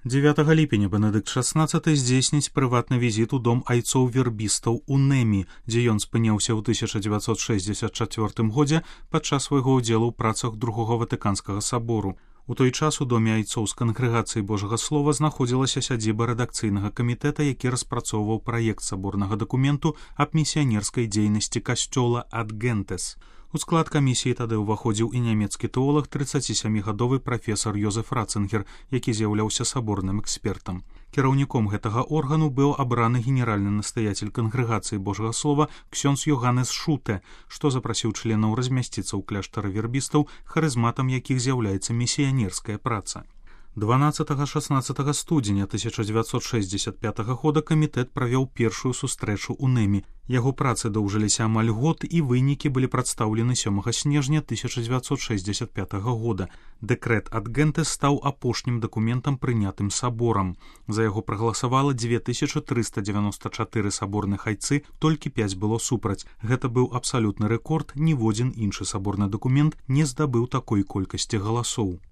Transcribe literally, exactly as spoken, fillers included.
дзевятага ліпеня Бенедыкт шаснаццаты здзейсніць прыватны візіт у дом айцоў-вербістаў у Нэмі, дзе ён спыняўся ў тысяча дзевяцьсот шэсцьдзесят чацвёртым годзе падчас свайго ўдзелу ў працах другога Ватыканскага сабору. У той час у доме айцоў з кангрэгацыі Божага Слова знаходзілася сядзіба рэдакцыйнага камітэта, які распрацоўваў праект саборнага дакументу аб місіянерскай дзейнасці касцёла ад Гентес. У склад камісіі тады ўваходзіў і нямецкі тэолаг трыццацісямігадовы прафесар Йозеф Ратцынгер, які з'яўляўся саборным экспертам. Кіраўніком гэтага органу быў абраны генеральны настаяцель кангрэгацыі Божага Слова ксёндз Йоганнес Шуте, што запрасіў членаў размясціцца ў кляштары вербістаў, харызматам якіх з'яўляецца місіянерская праца. дванаццатага-шаснаццатага студзеня тысяча дзевяцьсот шэсцьдзесят пятага года камітэт правёў першую сустрэчу ў Нэмі. Яго працы доўжыліся амаль год, і вынікі былі прадстаўлены сёмага снежня тысяча дзевяцьсот шэсцьдзесят пятага года. Дэкрэт ад Гентес стаў апошнім дакументам, прынятым саборам. За яго прагаласавала дзве тысячы трыста дзевяноста чатыры саборных айцы, толькі пяць было супраць. Гэта быў абсалютны рэкорд, ніводзін іншы саборны дакумент не здабыў такой колькасці галасоў.